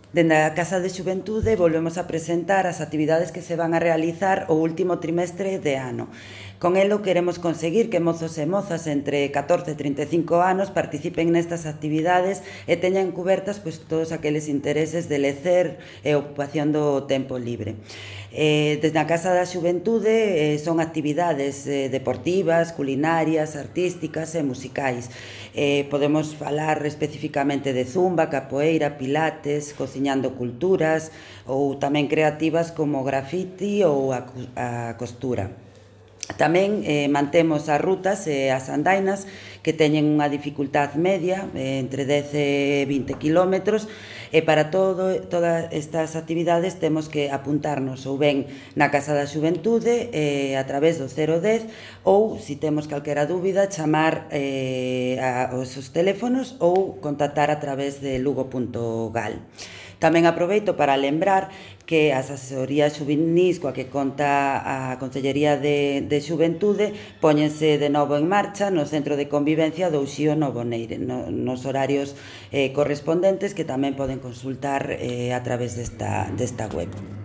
Dende a Casa de Xuventude volvemos a presentar as actividades que se van a realizar o último trimestre de ano. Con elo queremos conseguir que mozos e mozas entre 14 e 35 anos participen nestas actividades e teñan cubertas todos aqueles intereses de lecer e ocupación do tempo libre. Desde a Casa da Xuventude son actividades deportivas, culinarias, artísticas e musicais. Podemos falar especificamente de zumba, capoeira, pilates, cociñando culturas ou tamén creativas como grafiti ou a costura. Tamén mantemos as rutas e as andainas que teñen unha dificultad media, entre 10 e 20 kilómetros, e para todas estas actividades temos que apuntarnos ou ben na Casa da Xuventude a través do 010 ou, se temos calquera dúbida, chamar aos seus teléfonos ou contactar a través de lugo.gal. Tamén aproveito para lembrar que as asesorías xuvenis coa que conta a Consellería de Xuventude póñense de novo en marcha no Centro de Convivencia do Uxío Novo Neire, nos horarios correspondentes, que tamén poden consultar a través desta web.